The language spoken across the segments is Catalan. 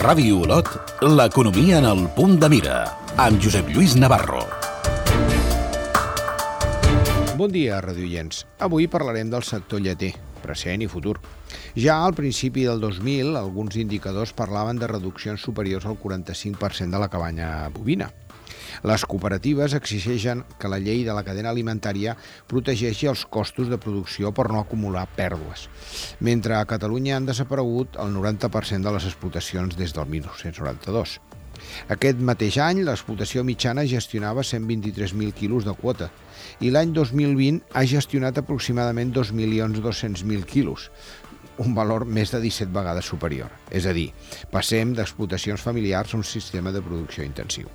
Ràdio Olot, l'economia en el punt de mira, amb Josep Lluís Navarro. Bon dia, radioients. Avui parlarem del sector lleter, present i futur. Ja al principi del 2000, alguns indicadors parlaven de reduccions superiors al 45% de la cabanya bovina. Les cooperatives exigeixen que la llei de la cadena alimentària protegeixi els costos de producció per no acumular pèrdues, mentre a Catalunya han desaparegut el 90% de les explotacions des del 1992. Aquest mateix any, l'explotació mitjana gestionava 123.000 quilos de quota i l'any 2020 ha gestionat aproximadament 2.200.000 quilos, un valor més de 17 vegades superior. És a dir, passem d'explotacions familiars a un sistema de producció intensiu.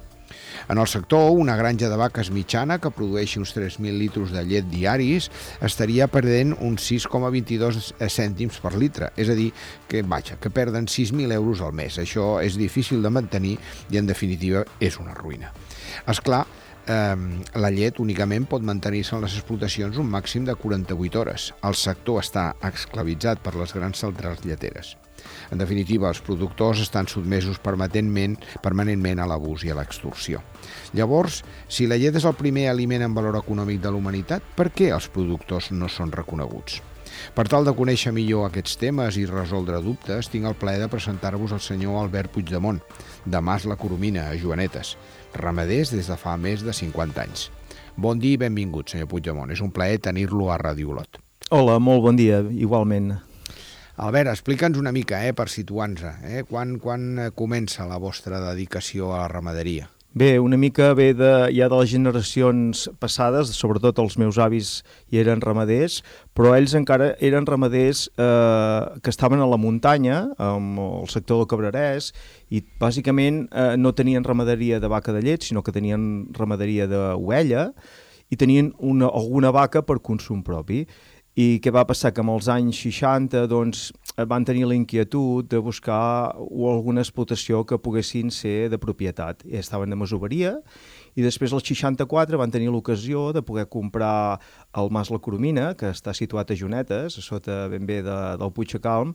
En el sector, una granja de vaques mitjana que produeixi uns 3.000 litres de llet diaris estaria perdent uns 6,22 cèntims per litre, és a dir, que perden 6.000 euros al mes. Això és difícil de mantenir i, en definitiva, és una ruïna. És clar, la llet únicament pot mantenir-se en les explotacions un màxim de 48 hores. El sector està esclavitzat per les grans centrals lleteres. En definitiva, els productors estan sotmesos permanentment a l'abús i a l'extorsió. Llavors, si la llet és el primer aliment en valor econòmic de la humanitat, per què els productors no són reconeguts? Per tal de conèixer millor aquests temes i resoldre dubtes, tinc el plaer de presentar-vos el senyor Albert Puigdemont, de Mas la Coromina, a Joanetes, ramaders des de fa més de 50 anys. Bon dia i benvingut, senyor Puigdemont. És un plaer tenir-lo a Ràdio Olot. Hola, molt bon dia, igualment. Albert, explica'ns una mica, per situar-nos, quan comença la vostra dedicació a la ramaderia? Bé, una mica ve ja de les generacions passades, sobretot els meus avis hi eren ramaders, però ells encara eren ramaders que estaven a la muntanya, al sector del Cabrerès, i bàsicament no tenien ramaderia de vaca de llet, sinó que tenien ramaderia d'ovella i tenien alguna vaca per consum propi. I què va passar? Que amb els anys 60 van tenir la inquietud de buscar alguna explotació que poguessin ser de propietat. Estaven de masoveria i després als 64 van tenir l'ocasió de poder comprar el Mas la Coromina, que està situat a Joanetes, a sota ben bé del Puig de Calm,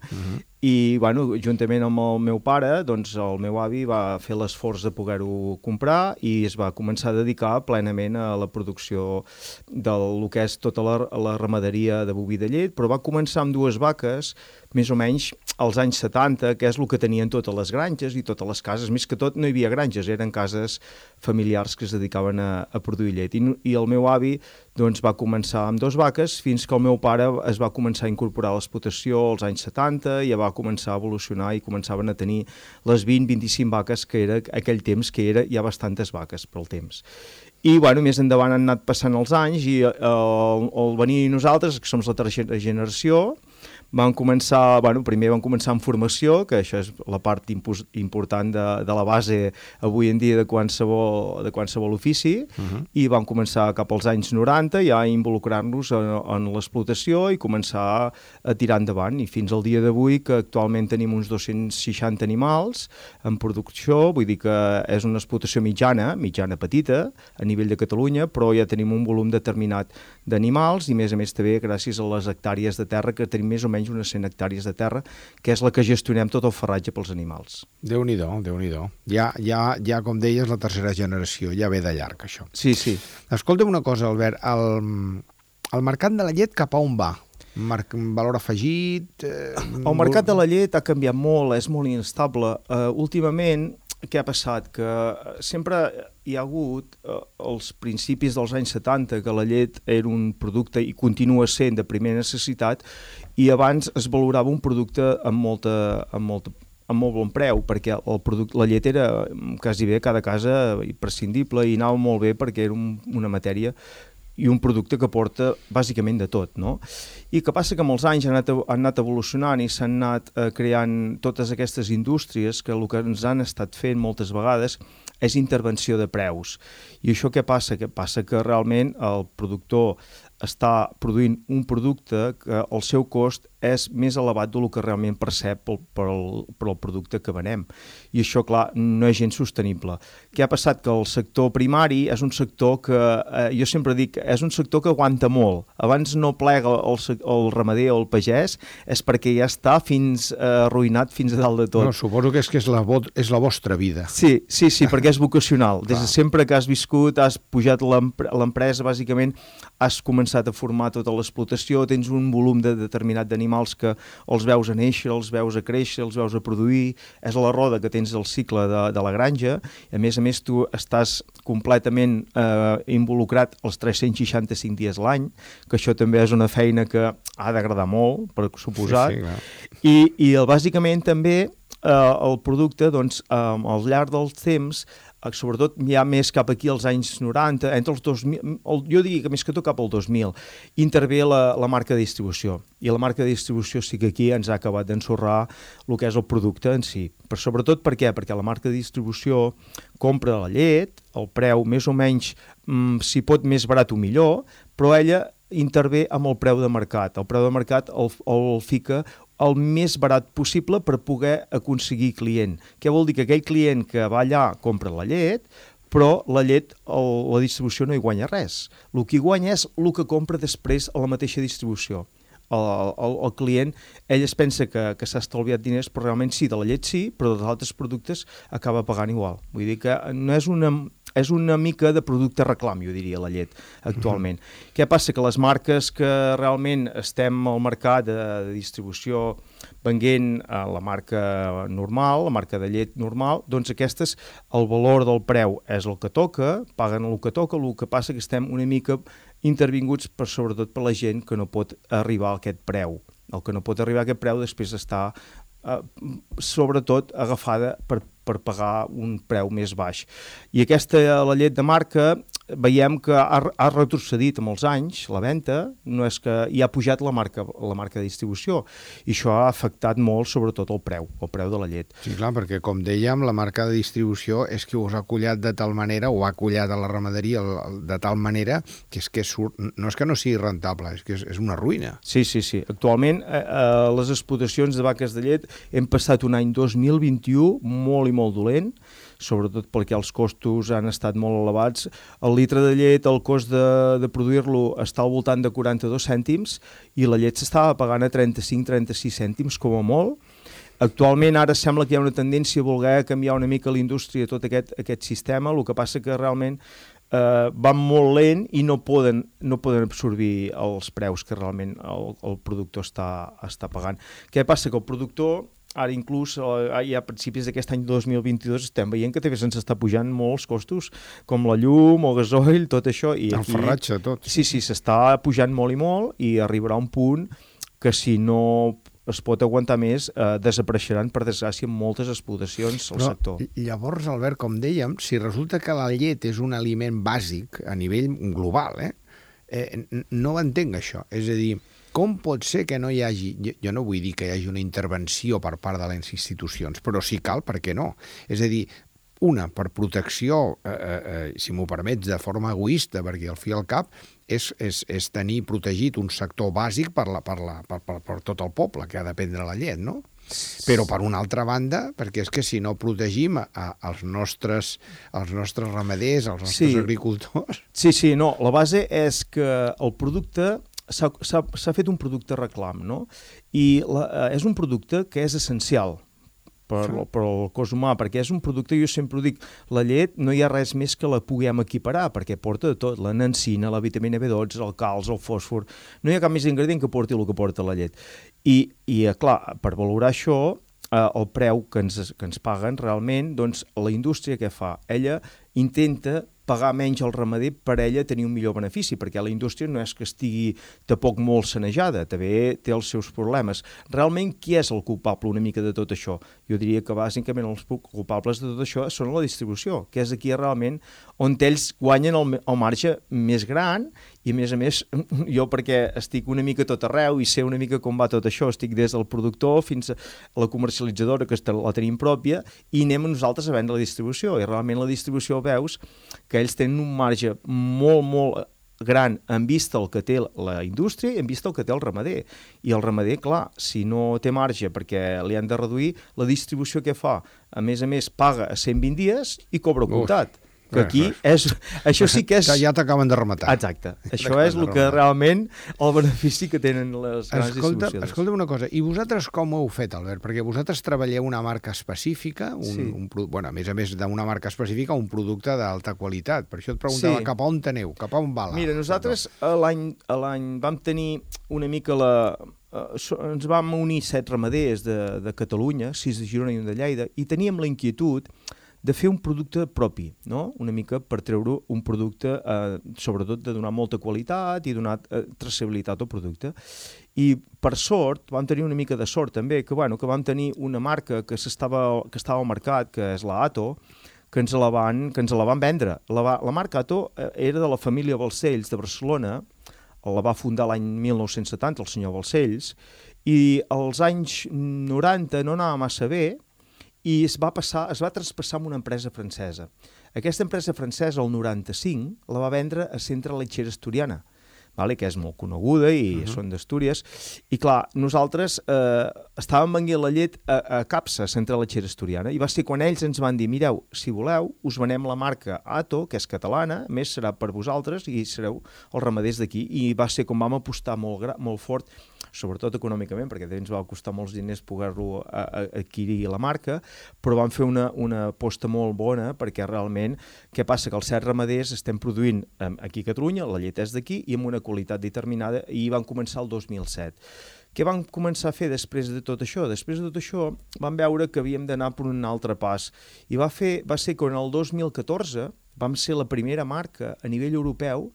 i juntament amb el meu pare, el meu avi va fer l'esforç de poder-ho comprar i es va començar a dedicar plenament a la producció del que és tota la ramaderia de boví de llet, però va començar amb 2 vaques, més o menys als anys 70, que és el que tenien totes les granges i totes les cases. Més que tot no hi havia granges, eren cases familiars que es dedicaven a produir llet. I el meu avi va començar amb 2 vaques fins que el meu pare es va començar a incorporar a l'explotació als anys 70 i ja va començar a evolucionar i començaven a tenir les 20-25 vaques que era aquell temps, que era ja bastantes vaques pel temps. I més endavant han anat passant els anys i al venir nosaltres, que som la tercera generació, primer van començar amb formació, que això és la part important de la base avui en dia de qualsevol ofici, i vam començar cap als anys 90 ja a involucrar-nos en l'explotació i començar a tirar endavant, i fins al dia d'avui, que actualment tenim uns 260 animals en producció, vull dir que és una explotació mitjana petita a nivell de Catalunya, però ja tenim un volum determinat d'animals i a més també gràcies a les hectàrees de terra, que tenim més o menys unes 100 hectàrees de terra, que és la que gestionem tot el farratge pels animals. Déu-n'hi-do, Déu-n'hi-do. Ja, com deies, la tercera generació, ja ve de llarg, això. Sí. Escolta'm una cosa, Albert, el mercat de la llet cap a on va? Valor afegit? El mercat de la llet ha canviat molt, és molt inestable. Últimament, què ha passat? Que sempre hi ha hagut, als principis dels anys 70, que la llet era un producte i continua sent de primera necessitat, i abans es valorava un producte amb molt bon preu, perquè la llet era quasi bé a cada casa imprescindible i anava molt bé perquè era una matèria i un producte que porta bàsicament de tot, no? I que passa que amb els anys han anat evolucionant i s'han anat creant totes aquestes indústries que el que ens han estat fent moltes vegades és intervenció de preus. I això què passa? Que passa que realment el productor està produint un producte que el seu cost és més elevat del que realment percep per el producte que venem. I això, clar, no és gens sostenible. Què ha passat? Que el sector primari és un sector que, jo sempre dic, és un sector que aguanta molt. Abans no plega el ramader o el pagès, és perquè ja està arruïnat fins a dalt de tot. No, suposo que és la vostra vida. Sí, perquè és vocacional. Des de sempre que has viscut, has pujat l'empresa, bàsicament, has començat a formar tota l'explotació, tens un volum determinat d'animals que els veus a néixer, els veus a créixer, els veus a produir, és la roda que tens del cicle de la granja, a més, tu estàs completament involucrat els 365 dies a l'any, que això també és una feina que ha d'agradar molt, per suposat, i bàsicament també el producte, doncs, al llarg del temps, sobretot ja més cap aquí als anys 90, entre els 2000, jo diria que més que tot cap al 2000, intervé la marca de distribució. I la marca de distribució sí que aquí ens ha acabat d'ensorrar el que és el producte en si. Però sobretot per què? Perquè la marca de distribució compra la llet, el preu més o menys, si pot més barat o millor, però ella intervé amb el preu de mercat. El preu de mercat el fica el més barat possible per poder aconseguir client. Què vol dir? Que aquell client que va allà compra la llet, però la llet, la distribució no hi guanya res. El que hi guanya és el que compra després a la mateixa distribució. El client, ell es pensa que s'ha estalviat diners, però realment sí, de la llet sí, però dels altres productes acaba pagant igual. Vull dir que no és una mica de producte reclam, jo diria, la llet, actualment. Què passa? Que les marques que realment estem al mercat de distribució venent la marca normal, la marca de llet normal, doncs aquestes, el valor del preu és el que toca, paguen el que toca, el que passa que estem una mica intervinguts sobretot per la gent que no pot arribar a aquest preu. El que no pot arribar a aquest preu després està sobretot agafada per pagar un preu més baix. I la llet de marca, veiem que ha retrocedit amb els anys, la venda, no és que hi ha pujat la marca de distribució, i això ha afectat molt sobretot el preu de la llet. Sí, clar, perquè com dèiem, la marca de distribució és que us ha collat de tal manera, o ha collat a la ramaderia de tal manera, que és que no és que no sigui rentable, és que és una ruïna. Sí. Actualment, les explotacions de vaques de llet hem passat un any 2021 molt i molt dolent, sobretot perquè els costos han estat molt elevats. El litre de llet, el cost de produir-lo està al voltant de 42 cèntims i la llet s'estava pagant a 35-36 cèntims com a molt. Actualment ara sembla que hi ha una tendència a voler canviar una mica l'indústria, tot aquest sistema, el que passa que realment van molt lent i no poden absorbir els preus que realment el productor està pagant. Què passa? Que el productor, ara inclús ja a principis d'aquest any 2022 estem veient que també se'ns està pujant molts costos, com la llum, el gasoil, tot això. I el ferratge, tot. Sí, s'està pujant molt i molt i arribarà un punt que si no es pot aguantar més, desapareixeran, per desgràcia, moltes explotacions al sector. Llavors, Albert, com dèiem, si resulta que la llet és un aliment bàsic a nivell global, no ho entenc, això. És a dir, com pot ser que no hi hagi... Jo no vull dir que hi hagi una intervenció per part de les institucions, però si cal, per què no? És a dir, una, per protecció, si m'ho permets, de forma egoista, perquè al fi i al cap és tenir protegit un sector bàsic per tot el poble que ha de prendre la llet, no? Però per una altra banda, perquè és que si no protegim els nostres ramaders, els nostres agricultors... Sí, no, la base és que el producte... S'ha fet un producte reclam, no? I és un producte que és essencial per al cos humà, perquè és un producte, jo sempre ho dic, la llet no hi ha res més que la puguem equiparar, perquè porta de tot, la nancina, la vitamina B12, el calç, el fòsfor, no hi ha cap més ingredient que porti el que porta la llet. I clar, per valorar això, el preu que ens paguen realment, doncs la indústria què fa? Ella intenta pagar menys al ramader per ella tenir un millor benefici, perquè la indústria no és que estigui tampoc molt sanejada, també té els seus problemes. Realment, qui és el culpable una mica de tot això? Jo diria que bàsicament els culpables de tot això són la distribució, que és aquí realment on ells guanyen el marge més gran i, a més, jo perquè estic una mica tot arreu i sé una mica com va tot això, estic des del productor fins a la comercialitzadora, que la tenim pròpia, i anem nosaltres a vendre la distribució. I realment la distribució veus que ells tenen un marge molt gran en vista el que té la indústria i en vista el que té el ramader. I el ramader, clar, si no té marge perquè li han de reduir, la distribució que fa, a més, paga a 120 dies i cobra comptat. Que aquí això sí que és... Ja t'acaben de rematar. Exacte. Això és el que realment el benefici que tenen les grans distribucions. Escolta una cosa, i vosaltres com ho heu fet, Albert? Perquè vosaltres treballeu una marca específica, a més d'una marca específica, un producte d'alta qualitat. Per això et preguntava cap a on aneu, cap a on va la... Mira, nosaltres l'any vam tenir una mica ens vam unir 7 ramaders de Catalunya, 6 de Girona i 1 de Lleida, i teníem la inquietud de fer un producte propi, no? Una mica per treure un producte, sobretot de donar molta qualitat i donar traçabilitat al producte. I per sort, vam tenir una mica de sort també, que vam tenir una marca que estava al mercat, que és la Ato, que ens la van vendre. La marca Ato era de la família Balcells de Barcelona, la va fundar l'any 1970 el senyor Balcells, i als anys 90 no anava massa bé, i es va traspassar amb una empresa francesa. Aquesta empresa francesa, el 95, la va vendre a Centre Lechera Asturiana, que és molt coneguda i són d'Astúries. I clar, nosaltres estàvem venent la llet a Capsa, Centre Lechera Asturiana, i va ser quan ells ens van dir, mireu, si voleu, us venem la marca Ato, que és catalana, a més serà per vosaltres i sereu els ramaders d'aquí. I va ser com vam apostar molt fort, sobretot econòmicament, perquè ens va costar molts diners poder-lo adquirir la marca, però vam fer una aposta molt bona, perquè realment, què passa? Que els 7 ramaders estem produint aquí a Catalunya, la llet és d'aquí, i amb una qualitat determinada, i van començar el 2007. Què vam començar a fer després de tot això? Després de tot això vam veure que havíem d'anar per un altre pas, i va ser quan el 2014 vam ser la primera marca a nivell europeu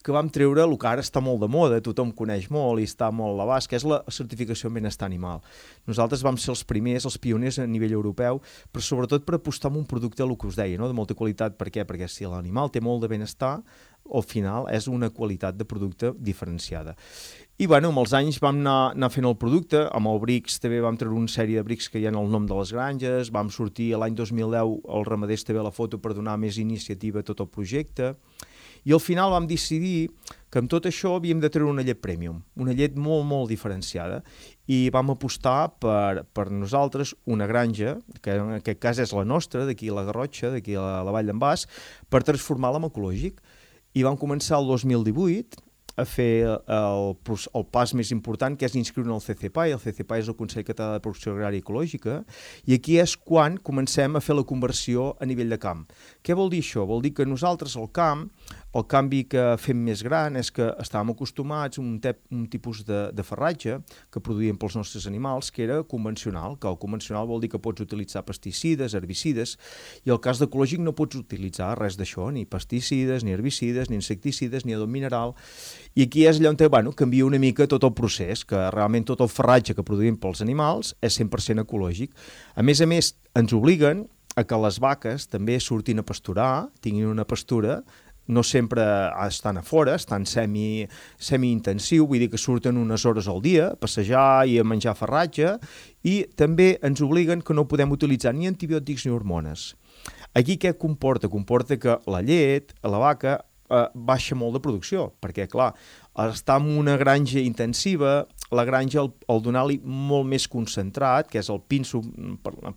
que vam treure el que ara està molt de moda, tothom coneix molt i està molt a l'abast, que és la certificació en benestar animal. Nosaltres vam ser els primers, els pioners a nivell europeu, però sobretot per apostar en un producte, el que us deia, no? De molta qualitat. Per què? Perquè si l'animal té molt de benestar, al final és una qualitat de producte diferenciada. I amb els anys vam anar fent el producte, amb el Brix també vam treure una sèrie de Brix que hi ha el nom de les granges, vam sortir l'any 2010 al Ramaders TV a la foto per donar més iniciativa a tot el projecte, i al final vam decidir que amb tot això havíem de treure una llet premium, una llet molt, molt diferenciada, i vam apostar per nosaltres una granja, que en aquest cas és la nostra, d'aquí a la Garrotxa, d'aquí a la Vall d'en Bas, per transformar-la en ecològic. I vam començar el 2018 a fer el pas més important, que és inscriure en el CCPAE. El CCPAE és el Consell Català de Producció Agrària Ecològica, i aquí és quan comencem a fer la conversió a nivell de camp. Què vol dir això? Vol dir que nosaltres al camp, el canvi que fem més gran és que estàvem acostumats a un tipus de farratge que produïem pels nostres animals, que era convencional, que el convencional vol dir que pots utilitzar pesticides, herbicides, i el cas d'ecològic no pots utilitzar res d'això, ni pesticides, ni herbicides, ni insecticides, ni adob mineral. I aquí és allà on canvia una mica tot el procés, que realment tot el farratge que produïm pels animals és 100% ecològic. A més, ens obliguen a que les vaques també surtin a pasturar, tinguin una pastura, no sempre estan a fora, estan semi-intensiu, vull dir que surten unes hores al dia a passejar i a menjar farratge, i també ens obliguen que no podem utilitzar ni antibiòtics ni hormones. Aquí què comporta? Comporta que la llet, la vaca, baixa molt de producció, perquè, clar, està en una granja intensiva, la granja, al donar-li molt més concentrat, que és el pinso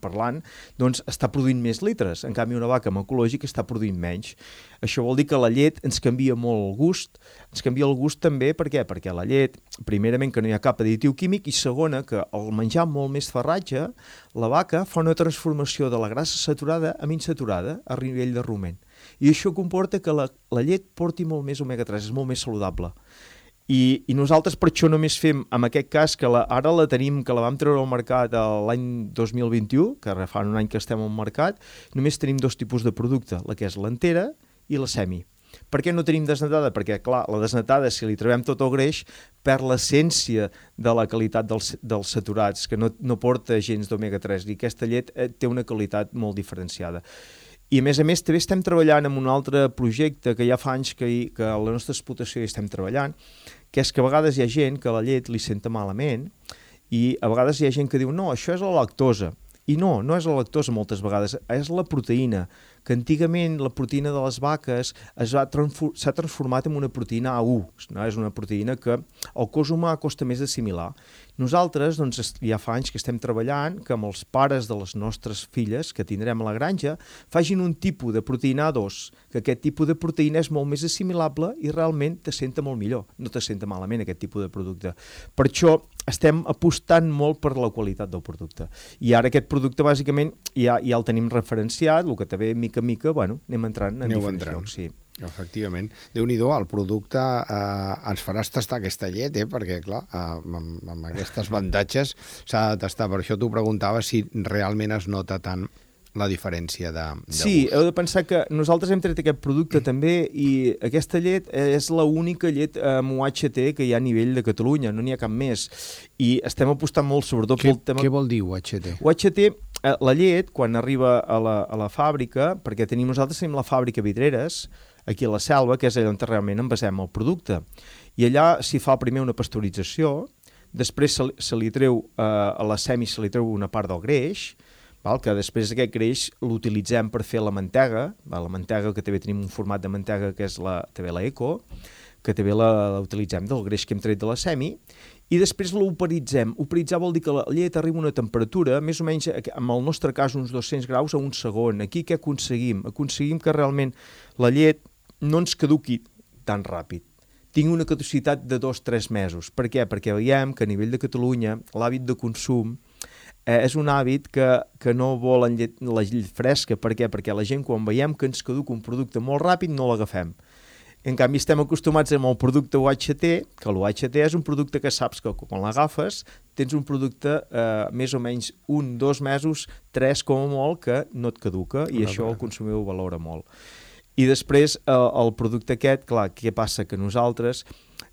parlant, doncs està produint més litres. En canvi, una vaca amb ecològic està produint menys. Això vol dir que la llet ens canvia molt el gust. Ens canvia el gust també, per què? Perquè la llet, primerament, que no hi ha cap additiu químic, i segona, que al menjar molt més farratge, la vaca fa una transformació de la grassa saturada a insaturada a nivell de rumen. I això comporta que la llet porti molt més omega-3, és molt més saludable. I nosaltres per això només fem, en aquest cas, que ara la tenim, que la vam treure al mercat l'any 2021, que fa un any que estem al mercat, només tenim 2 tipus de producte, la que és l'entera i la semi. Per què no tenim desnatada? Perquè, clar, la desnatada, si li trobem tot el greix, perd l'essència de la qualitat dels saturats, que no porta gens d'omega-3, i aquesta llet té una qualitat molt diferenciada. I, a més, també estem treballant en un altre projecte que ja fa anys que a la nostra explotació hi estem treballant, que és que a vegades hi ha gent que la llet li senta malament, i a vegades hi ha gent que diu no, això és la lactosa. I no és la lactosa moltes vegades, és la proteïna, que antigament la proteïna de les vaques s'ha transformat en una proteïna A1, no? És una proteïna que el cos humà costa més d'assimilar. Nosaltres, doncs, ja fa anys que estem treballant que amb els pares de les nostres filles que tindrem a la granja facin un tipus de proteïna A2, que aquest tipus de proteïna és molt més assimilable i realment t'assenta molt millor, no t'assenta malament aquest tipus de producte. Per això estem apostant molt per la qualitat del producte. I ara aquest producte, bàsicament, ja el tenim referenciat, el que també, mica en mica, anem entrant en diferents llocs. Sí. Efectivament. Déu-n'hi-do, el producte ens faràs tastar aquesta llet, perquè, clar, amb aquestes avantatges s'ha de tastar. Per això t'ho preguntava si realment es nota tant la diferència de sí, gust. Heu de pensar que nosaltres hem tret aquest producte també i aquesta llet és l'única llet amb UHT que hi ha a nivell de Catalunya, no n'hi ha cap més. I estem apostant molt, sobretot pel tema... Què vol dir UHT? UHT, la llet, quan arriba a la fàbrica, perquè nosaltres tenim la fàbrica Vidreres, aquí a la Selva, que és allà on realment envasem el producte. I allà s'hi fa primer una pasteurització, després se li treu, a la semi se li treu una part del greix, que després aquest greix l'utilitzem per fer la mantega, la mantega que també tenim un format de mantega que és també la Eco, que també l'utilitzem del greix que hem tret de la semi, i després l'operitzem. Operitzar vol dir que la llet arriba a una temperatura, més o menys, en el nostre cas, uns 200 graus a un segon. Aquí què aconseguim? Aconseguim que realment la llet no ens caduqui tan ràpid. Tingui una caducitat de 2-3 mesos. Per què? Perquè veiem que a nivell de Catalunya l'hàbit de consum és un hàbit que no volen la llet fresca. Per què? Perquè la gent, quan veiem que ens caduca un producte molt ràpid, no l'agafem. En canvi, estem acostumats amb el producte UHT, que l'UHT és un producte que saps que quan l'agafes tens un producte més o menys 1-2 mesos, 3 com a molt, que no et caduca, i això el consumidor ho valora molt. I després el producte aquest, clar, què passa? Que nosaltres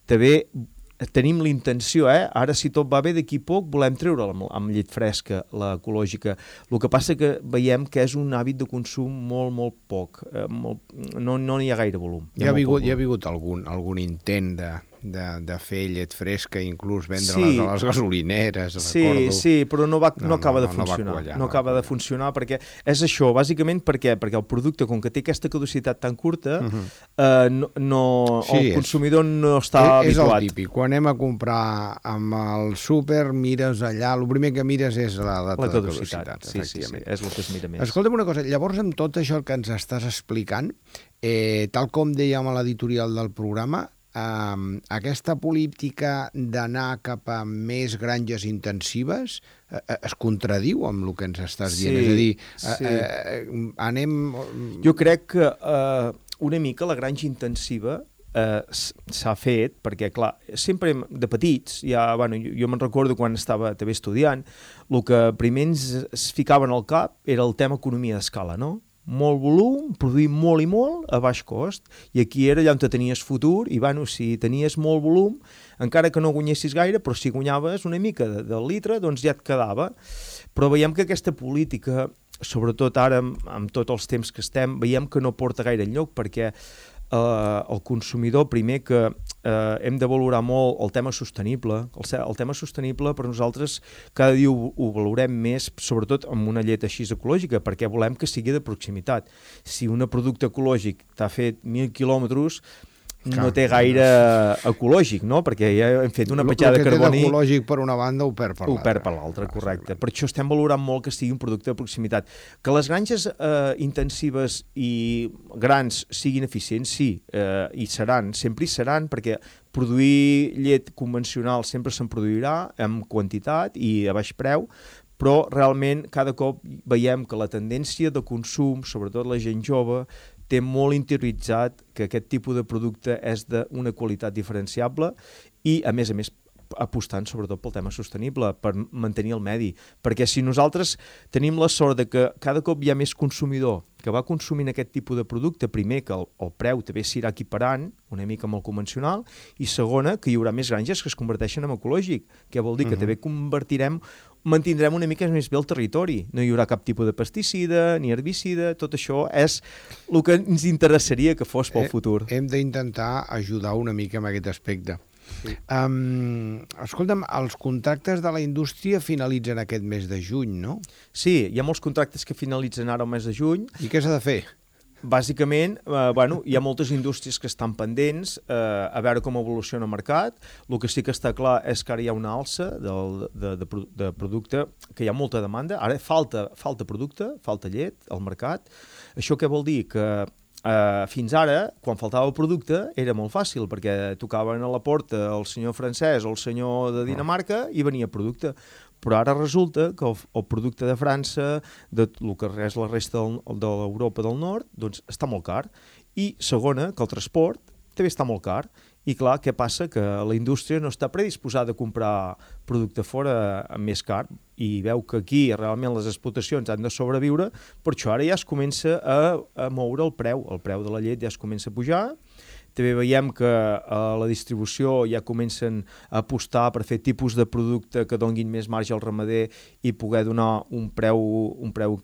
també tenim la intenció, ara si tot va bé, d'aquí poc volem treure amb llet fresca, l'ecològica. El que passa que veiem que és un hàbit de consum molt poc, no hi ha gaire volum. Hi ha hagut algun intent de fer llet fresca, inclús vendre-les a les gasolineres, recordo. Sí, però no acaba de funcionar. No acaba de funcionar perquè és això, bàsicament perquè el producte, com que té aquesta caducitat tan curta, el consumidor no està habituat. És el típic. Quan anem a comprar amb el súper, mires allà, el primer que mires és la data de caducitat. Sí, és el que es mira més. Escolta'm una cosa, llavors amb tot això que ens estàs explicant, tal com dèiem a l'editorial del programa, aquesta política d'anar cap a més granges intensives es contradiu amb el que ens estàs dient. És a dir, anem... Jo crec que una mica la granja intensiva s'ha fet, perquè, clar, sempre de petits, jo me'n recordo quan estava també estudiant, el que primer ens ficaven al cap era el tema economia d'escala, no? Molt volum, produir molt i molt a baix cost, i aquí era allà on tenies futur, i si tenies molt volum, encara que no guanyessis gaire, però si guanyaves una mica del litre, doncs ja et quedava. Però veiem que aquesta política, sobretot ara amb tots els temps que estem, veiem que no porta gaire enlloc, perquè el consumidor, primer que hem de valorar molt el tema sostenible. El tema sostenible per nosaltres cada dia ho valorem més, sobretot amb una llet així ecològica, perquè volem que sigui de proximitat. Si un producte ecològic t'ha fet 1.000 quilòmetres, no té gaire ecològic, no? Perquè ja hem fet una petjada de carboni... El que té ecològic per una banda ho perd per l'altra. Ho perd per l'altra, correcte. Per això estem valorant molt que sigui un producte de proximitat. Que les granges intensives i grans siguin eficients, sí, i seran, sempre hi seran, perquè produir llet convencional sempre se'n produirà amb quantitat i a baix preu, però realment cada cop veiem que la tendència de consum, sobretot la gent jove, té molt interioritzat que aquest tipus de producte és d'una qualitat diferenciable i, a més, apostant sobretot pel tema sostenible, per mantenir el medi. Perquè si nosaltres tenim la sort de que cada cop hi ha més consumidor que va consumint aquest tipus de producte, primer que el preu també s'irà equiparant una mica amb el convencional, i segona, que hi haurà més granges que es converteixen en ecològic, que vol dir que també mantindrem una mica més bé el territori. No hi haurà cap tipus de pesticida ni herbicida, tot això és el que ens interessaria que fos pel futur. Hem d'intentar ajudar una mica en aquest aspecte. Sí. Escolta'm, els contractes de la indústria finalitzen aquest mes de juny, no? Sí, hi ha molts contractes que finalitzen ara el mes de juny. I què s'ha de fer? bàsicament, hi ha moltes indústries que estan pendents a veure com evoluciona el mercat. El que sí que està clar és que ara hi ha una alça de producte, que hi ha molta demanda. Ara falta producte, falta llet al mercat. Això què vol dir? Que fins ara, quan faltava el producte, era molt fàcil, perquè tocaven a la porta el senyor francès o el senyor de Dinamarca i venia producte. Però ara resulta que el producte de França, de el que és la resta de l'Europa del Nord, doncs està molt car. I segona, que el transport també està molt car. I clar, què passa? Que la indústria no està predisposada a comprar producte fora més car i veu que aquí realment les explotacions han de sobreviure, per això ara ja es comença a moure el preu de la llet ja es comença a pujar. També veiem que a la distribució ja comencen a apostar per fer tipus de producte que donguin més marge al ramader i poder donar un preu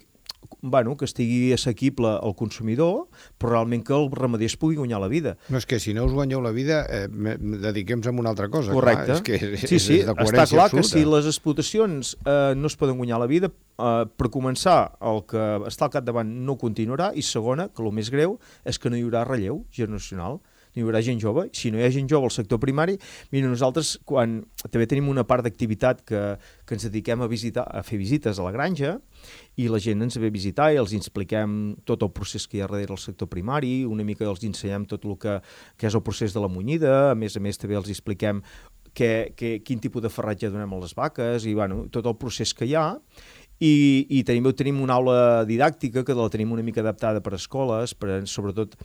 que estigui assequible al consumidor, però realment que el ramader es pugui guanyar la vida. No, és que si no us guanyeu la vida, dediquem-nos a una altra cosa. Correcte. Clar, és sí, de coherència està clar absoluta. que si les explotacions no es poden guanyar la vida, per començar, el que està al capdavant no continuarà, i segona, que el més greu, és que no hi haurà relleu generacional. No hi haurà gent jove. Si no hi ha gent jove al sector primari, mira, nosaltres també tenim una part d'activitat que ens dediquem a fer visites a la granja, i la gent ens ve a visitar i els expliquem tot el procés que hi ha darrere del sector primari, una mica els ensenyem tot el que és el procés de la munyida, a més també els expliquem quin tipus de farratge donem a les vaques i tot el procés que hi ha. I tenim una aula didàctica que la tenim una mica adaptada per a escoles, per sobretot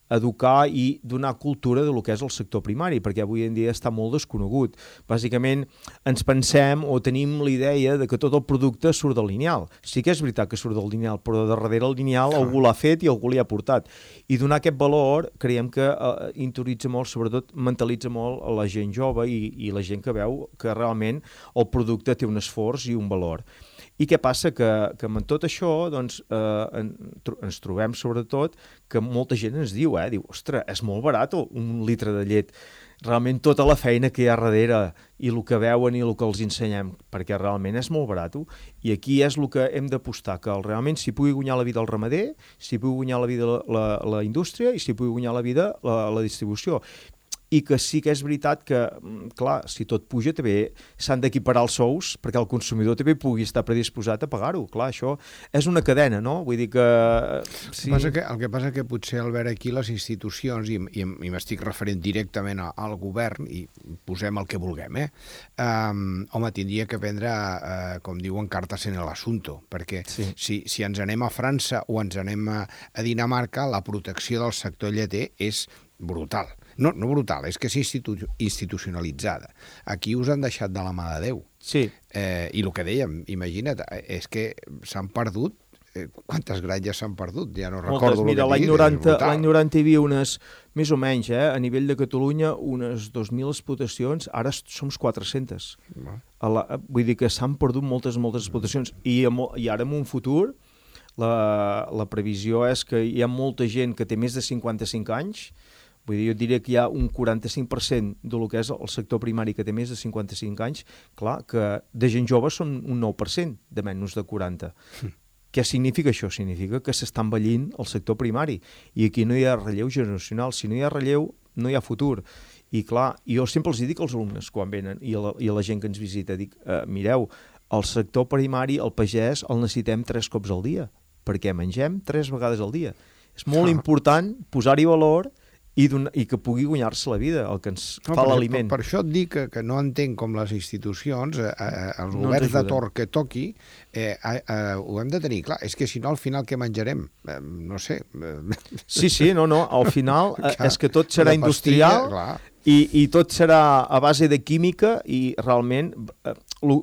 educar i donar cultura del que és el sector primari, perquè avui en dia està molt desconegut. Bàsicament ens pensem o tenim la idea de que tot el producte surt del lineal. Sí que és veritat que surt del lineal, però darrere el lineal algú l'ha fet i algú l'hi ha portat. I donar aquest valor creiem que interioritza molt, sobretot mentalitza molt a la gent jove i la gent que veu que realment el producte té un esforç i un valor. I què passa? Que amb tot això doncs, ens trobem sobretot que molta gent ens diu, ostres, és molt barat un litre de llet. Realment tota la feina que hi ha darrere i el que veuen i el que els ensenyem, perquè realment és molt barat. I aquí és el que hem d'apostar, que realment s'hi pugui guanyar la vida el ramader, s'hi pugui guanyar la vida la indústria i s'hi pugui guanyar la vida la distribució. I que sí que és veritat que, clar, si tot puja també s'han d'equiparar els sous perquè el consumidor també pugui estar predisposat a pagar-ho. Clar, això és una cadena, no? Vull dir que... Sí. El que passa que potser, Albert, aquí les institucions, i m'estic referint directament al govern, i posem el que vulguem, home, tindria que prendre, com diuen, cartes en l'assumpte, perquè si ens anem a França o ens anem a Dinamarca, la protecció del sector lleter és brutal. No brutal, és que és institucionalitzada. Aquí us han deixat de la mà de Déu. Sí. I el que dèiem, imagina't, és que s'han perdut, quantes granges s'han perdut? Ja no recordo el que l'any 90 hi havia unes, més o menys, a nivell de Catalunya, unes 2.000 explotacions, ara som 400. Vull dir que s'han perdut moltes explotacions. I ara en un futur la previsió és que hi ha molta gent que té més de 55 anys. Vull dir, jo diria que hi ha un 45% del que és el sector primari que té més de 55 anys, clar, que de gent jove són un 9% de menys de 40. Què significa això? Significa que s'està envellint el sector primari i aquí no hi ha relleu generacional. Si no hi ha relleu, no hi ha futur. I clar, jo sempre els dic als alumnes quan venen i a la gent que ens visita, dic, mireu, el sector primari, el pagès, el necessitem 3 cops al dia, perquè mengem 3 vegades al dia. És molt important posar-hi valor i que pugui guanyar-se la vida, el que ens fa l'aliment. Per això et dic que no entenc com les institucions, els governs de torn que toqui, ho hem de tenir clar. És que si no, al final què menjarem? No sé. Sí, no, al final és que tot serà industrial i tot serà a base de química i realment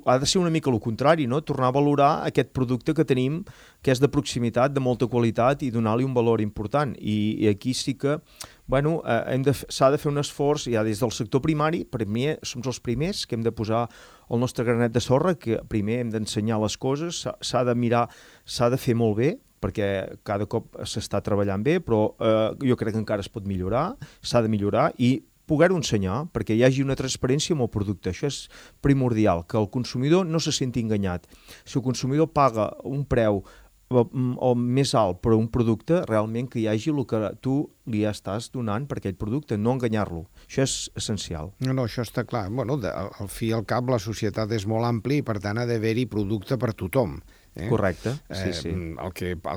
ha de ser una mica el contrari, no? Tornar a valorar aquest producte que tenim, que és de proximitat, de molta qualitat i donar-li un valor important. I aquí sí que s'ha de fer un esforç ja des del sector primari. Per mi som els primers que hem de posar el nostre granet de sorra, que primer hem d'ensenyar les coses, s'ha de mirar, s'ha de fer molt bé, perquè cada cop s'està treballant bé, però jo crec que encara es pot millorar, s'ha de millorar i poder-ho ensenyar, perquè hi hagi una transparència amb el producte. Això és primordial, que el consumidor no se senti enganyat. Si el consumidor paga un preu o més alt, però un producte realment que hi hagi el que tu li estàs donant per aquell producte, no enganyar-lo. Això és essencial. No, això està clar. Bueno, al fi i al cap la societat és molt àmplia i per tant ha d'haver-hi producte per tothom. Correcte, sí. El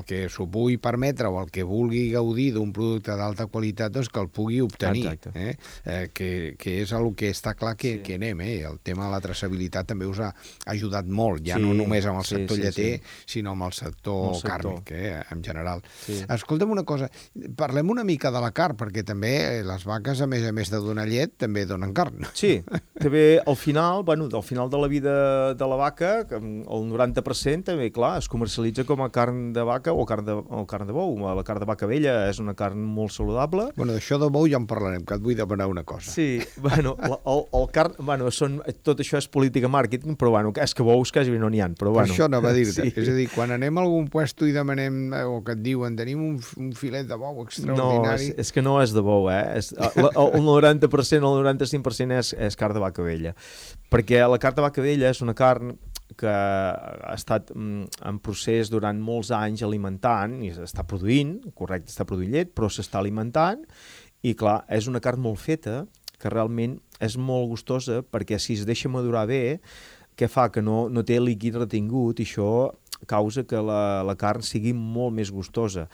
que s'ho pugui permetre o el que vulgui gaudir d'un producte d'alta qualitat, doncs que el pugui obtenir. Que és el que està clar que anem. El tema de la traçabilitat també us ha ajudat molt, ja no només amb el sector lleter, sinó amb el sector càrnic, en general. Escolta'm una cosa, parlem una mica de la carn, perquè també les vaques, a més de donar llet, també donen carn. Sí, també al final de la vida de la vaca, el 90% també, clar, es comercialitza com a carn de vaca o carn de bou. La carn de vaca vella és una carn molt saludable. Bueno, d'això de bou ja en parlarem, que et vull demanar una cosa. Sí, tot això és política màrqueting, però és que bous quasi no n'hi ha. Però, això anava a dir-te. És a dir, quan anem a algun puesto i demanem, o que et diuen, tenim un filet de bou extraordinari... No, és que no és de bou, el 90% o el 95% és carn de vaca vella. Perquè la carn de vaca vella és una carn que ha estat en procés durant molts anys alimentant i està produint llet, però s'està alimentant i clar, és una carn molt feta que realment és molt gustosa perquè si es deixa madurar bé, què fa? Que no té líquid retingut i això causa que la carn sigui molt més gustosa.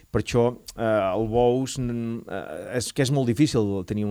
Per això el bous és que és molt difícil tenir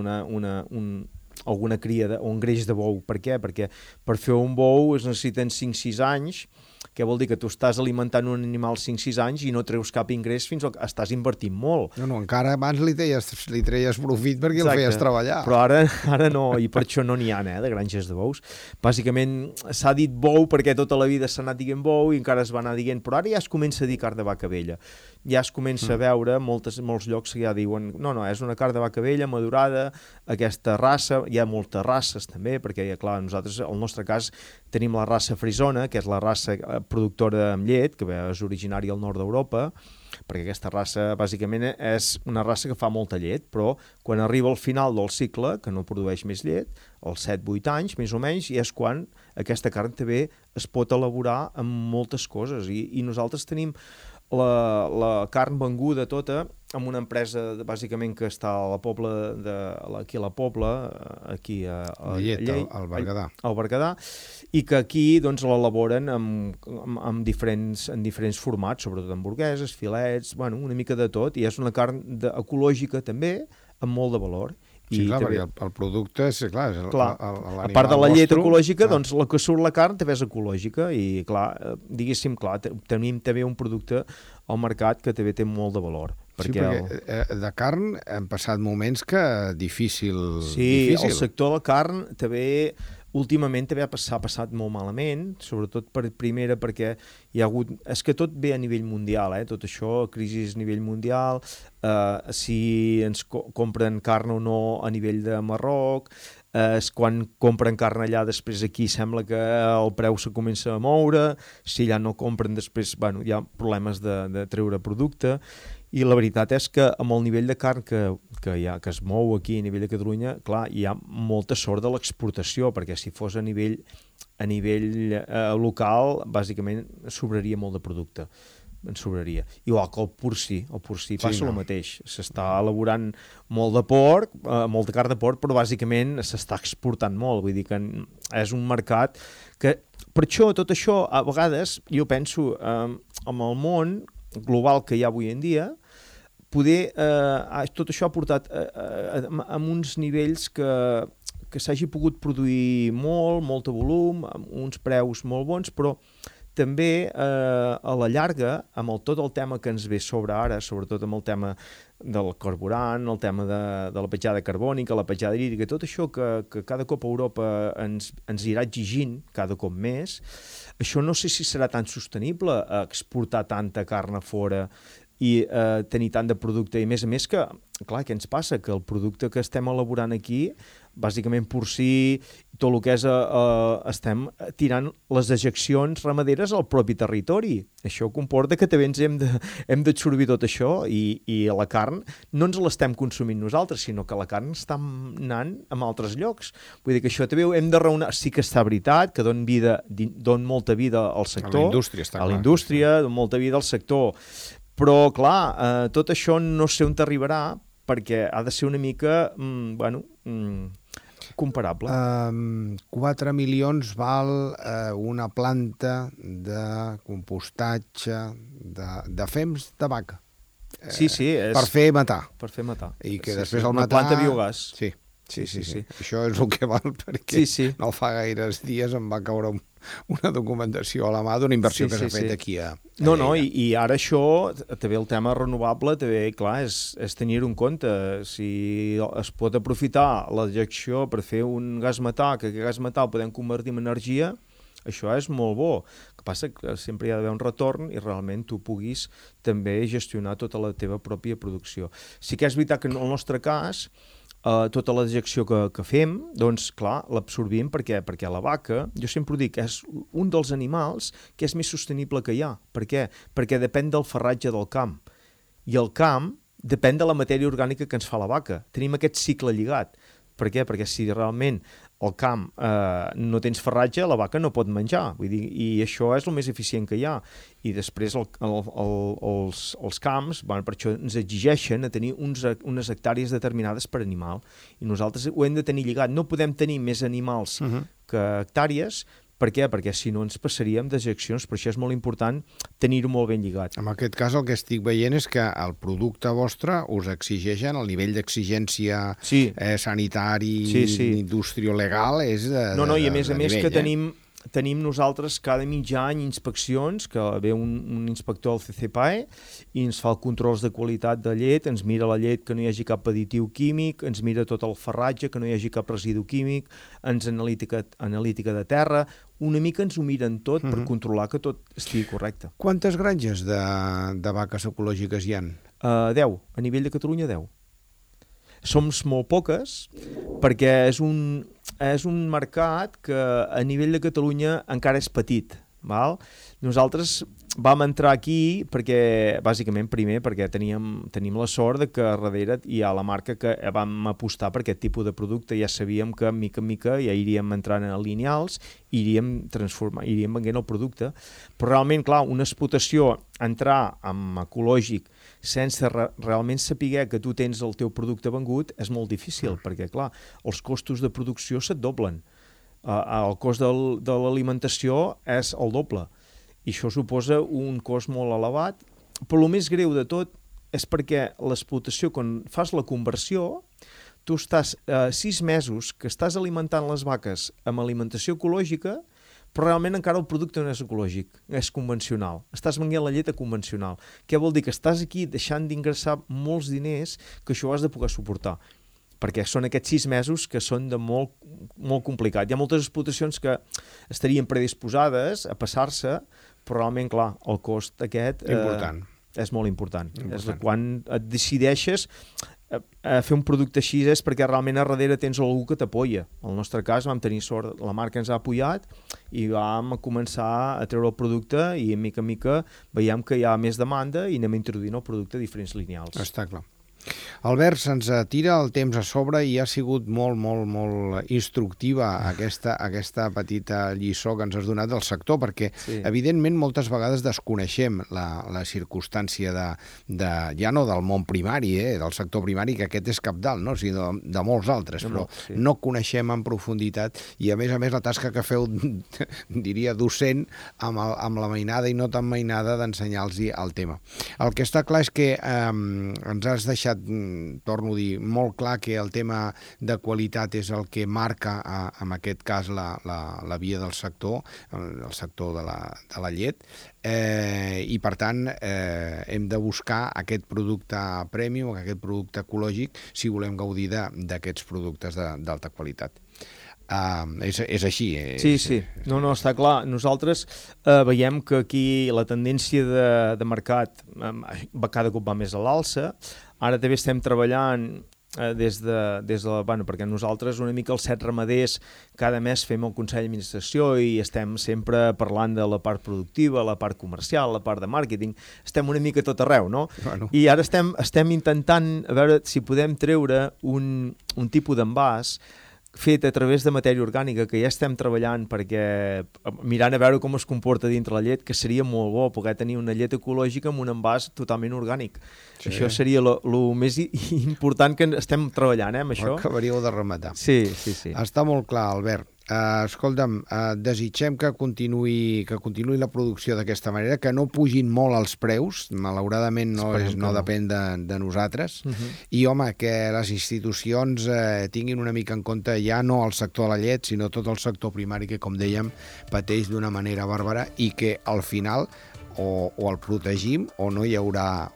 alguna cria o un greix de bou. Per què? Perquè per fer un bou es necessiten 5-6 anys, que vol dir que tu estàs alimentant un animal 5-6 anys i no treus cap ingrés fins que estàs invertint molt. No, encara abans li treies profit perquè el feies treballar. Però ara no, i per això no n'hi ha, de granges de bous. Bàsicament s'ha dit bou perquè tota la vida s'ha anat dient bou i encara es va anar dient, però ara ja es comença a dir carn de vaca vella. Ja es comença a veure molts llocs que ja diuen no, és una carn de vaca vella madurada, aquesta raça, hi ha moltes races també, perquè clar, nosaltres, al nostre cas, tenim la raça frisona, que és la raça productora amb llet, que és originària al nord d'Europa, perquè aquesta raça bàsicament és una raça que fa molta llet, però quan arriba al final del cicle, que no produeix més llet, als 7-8 anys, més o menys, i és quan aquesta carn també es pot elaborar amb moltes coses. I nosaltres tenim la carn venguda tota amb una empresa bàsicament que està a la Pobla, aquí a la Pobla, aquí a Llei, al Berguedà. Al Berguedà, i que aquí doncs l'elaboren en diferents formats, sobretot hamburgueses, filets, una mica de tot, i és una carn ecològica també, amb molt de valor. Sí, clar, perquè el producte és, clar, a part de la llet ecològica, doncs la que surt la carn també és ecològica i, clar, diguéssim, tenim també un producte al mercat que també té molt de valor. Perquè de carn han passat moments que difícil. Sí, el sector de la carn també últimament també s'ha passat molt malament, sobretot perquè hi ha hagut... És que tot ve a nivell mundial, tot això, crisi a nivell mundial, si ens compren carn o no a nivell de Marroc, quan compren carn allà, després aquí sembla que el preu se comença a moure, si allà no compren després, hi ha problemes de treure producte, i la veritat és que amb el nivell de carn que es mou aquí a nivell de Catalunya, clar, hi ha molta sort de l'exportació, perquè si fos a nivell local, bàsicament sobraria molt de producte. En sobraria. Igual que el porcí passa el mateix. S'està elaborant molt de porc, molta carn de porc, però bàsicament s'està exportant molt. Vull dir que és un mercat que... Per això, tot això, a vegades, jo penso, amb el món global que hi ha avui en dia, tot això ha portat a uns nivells que s'hagi pogut produir molt de volum, amb uns preus molt bons, però també a la llarga, amb tot el tema que ens ve sobre ara, sobretot amb el tema del carburant, el tema de la petjada carbònica, la petjada hídrica, tot això que cada cop Europa ens irà exigint cada cop més, això no sé si serà tan sostenible exportar tanta carn a fora tenir tant de producte. I a més que, clar, què ens passa? Que el producte que estem elaborant aquí, bàsicament porcí, tot el que és, estem tirant les dejeccions ramaderes al propi territori. Això comporta que també ens hem d'absorbir tot això i la carn no ens l'estem consumint nosaltres, sinó que la carn està anant a altres llocs. Vull dir que això també ho hem de raonar. Sí que està veritat, que don molta vida al sector. A la indústria, està clar. A la indústria, don molta vida al sector. Però, clar, tot això no sé on t'arribarà perquè ha de ser una mica, comparable. 4 milions val una planta de compostatge de fems de vaca. Sí, és... Per fer matar. Per fer matar. I que després el matar... Una planta biogàs. Sí. Això és el que val, perquè no fa gaires dies em va caure una documentació a la mà d'una inversió que s'ha fet aquí a No, i ara això, també el tema renovable, també, clar, és tenir-ho en compte. Si es pot aprofitar la dejecció per fer un gas metà, que aquest gas metà el podem convertir en energia, això és molt bo. El que passa que sempre hi ha d'haver un retorn i realment tu puguis també gestionar tota la teva pròpia producció. Sí que és veritat que en el nostre cas, tota la dejecció que fem, doncs, clar, l'absorbim perquè la vaca, jo sempre ho dic, és un dels animals que és més sostenible que hi ha. Per què? Perquè depèn del farratge del camp. I el camp depèn de la matèria orgànica que ens fa la vaca. Tenim aquest cicle lligat. Per què? Perquè si realment al camp no tens farratge, la vaca no pot menjar. Vull dir, i això és el més eficient que hi ha. I després els camps, per això ens exigeixen a tenir unes hectàrees determinades per animal. I nosaltres ho hem de tenir lligat. No podem tenir més animals que hectàrees. Per què? Perquè si no ens passaríem dejeccions, per això és molt important tenir-ho molt ben lligat. En aquest cas el que estic veient és que el producte vostre us exigeixen, el nivell d'exigència sanitari, indústria legal és de i a més nivell, que tenim nosaltres cada mig any inspeccions, que ve un inspector del CCPAE i ens fa els controls de qualitat de llet, ens mira la llet que no hi hagi cap additiu químic, ens mira tot el farratge, que no hi hagi cap residu químic, ens analítica de terra, una mica ens ho miren tot per controlar que tot estigui correcte. Quantes granges de vaques ecològiques hi ha? 10, a nivell de Catalunya 10. Som molt poques perquè és un mercat que a nivell de Catalunya encara és petit. Val? Nosaltres vam entrar aquí perquè, bàsicament, primer perquè tenim la sort de que darrere hi ha la marca que vam apostar per aquest tipus de producte. Ja sabíem que mica en mica ja iríem entrant a lineals, iríem venent el producte. Però realment, clar, una explotació, entrar en ecològic sense realment saber que tu tens el teu producte vengut és molt difícil, perquè, clar, els costos de producció se't doblen. El cost de l'alimentació és el doble. I això suposa un cost molt elevat, però el més greu de tot és perquè l'explotació, quan fas la conversió, tu estàs 6 mesos que estàs alimentant les vaques amb alimentació ecològica, però realment encara el producte no és ecològic, és convencional. Estàs venent la llet convencional. Què vol dir? Que estàs aquí deixant d'ingressar molts diners que això ho has de poder suportar. Perquè són aquests 6 mesos que són de molt, molt complicat. Hi ha moltes explotacions que estarien predisposades a passar-se, però realment, clar, el cost aquest és molt important. És quan et decideixes a fer un producte així és perquè realment a darrere tens algú que t'apoya. En el nostre cas vam tenir sort, la marca ens ha apoyat i vam començar a treure el producte i en mica veiem que hi ha més demanda i anem introduint el producte a diferents lineals. Està clar. Albert, se'ns tira el temps a sobre i ha sigut molt, molt, molt instructiva aquesta petita lliçó que ens has donat del sector, perquè evidentment moltes vegades desconeixem la circumstància ja no del món primari, del sector primari, que aquest és cabdal, no? Sinó de molts altres, però no coneixem en profunditat i a més la tasca que feu, diria, docent amb la mainada i no tan mainada d'ensenyar-los el tema. El que està clar és que ens has deixat, torno a dir, molt clar que el tema de qualitat és el que marca, en aquest cas, la via del sector, el sector de la llet, i per tant hem de buscar aquest producte premium, aquest producte ecològic, si volem gaudir d'aquests productes d'alta qualitat. És així. Sí. No, està clar. Nosaltres veiem que aquí la tendència de mercat cada cop va més a l'alça. Ara també estem treballant perquè nosaltres una mica els 7 ramaders cada mes fem el Consell d'Administració i estem sempre parlant de la part productiva, la part comercial, la part de màrqueting, estem una mica tot arreu, no? Bueno. I ara estem intentant a veure si podem treure un tipus d'envàs fet a través de matèria orgànica, que ja estem treballant perquè mirant a veure com es comporta dintre la llet, que seria molt bo poder tenir una llet ecològica amb un envàs totalment orgànic. Sí. Això seria el més important que estem treballant, amb això. Ho acabaríeu de rematar. Sí. Està molt clar, Albert. Escolta'm, desitgem que continuï la producció d'aquesta manera, que no pugin molt els preus, malauradament no depèn de nosaltres, i home, que les institucions tinguin una mica en compte ja no el sector de la llet, sinó tot el sector primari que, com dèiem, pateix d'una manera bàrbara i que al final o el protegim o no hi haurà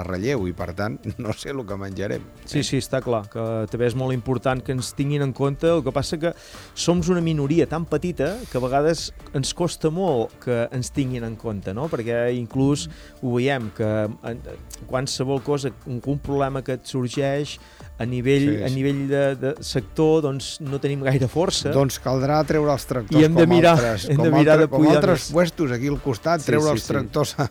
relleu i per tant no sé el que menjarem. Sí, està clar, que també és molt important que ens tinguin en compte. El que passa que som una minoria tan petita que a vegades ens costa molt que ens tinguin en compte, no? Perquè inclús ho veiem que qualsevol cosa, un problema que et sorgeix a nivell de sector, doncs no tenim gaire força. Doncs caldrà treure els tractors com altres puestos aquí al costat, treure els tractors a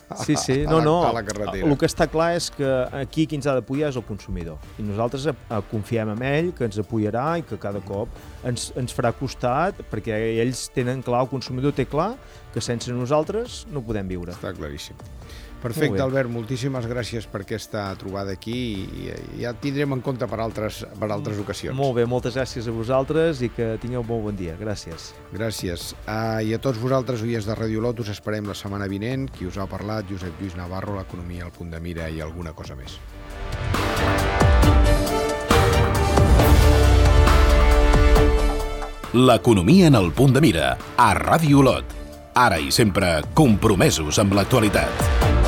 la carretera. El que està clar és que aquí qui ens ha d'apoyar és el consumidor. I nosaltres confiem en ell, que ens apoyarà i que cada cop ens farà costat, perquè ells tenen clar, el consumidor té clar, que sense nosaltres no podem viure. Està claríssim. Perfecte, Albert, moltíssimes gràcies per aquesta trobada aquí i ja et tindrem en compte per altres ocasions. Molt bé, moltes gràcies a vosaltres i que tingueu molt bon dia. Gràcies. Gràcies. I a tots vosaltres, oients de Radio Lot, us esperem la setmana vinent. Qui us ha parlat, Josep Lluís Navarro, l'economia al punt de mira i alguna cosa més. L'economia en el punt de mira, a Radio Lot. Ara i sempre compromesos amb l'actualitat.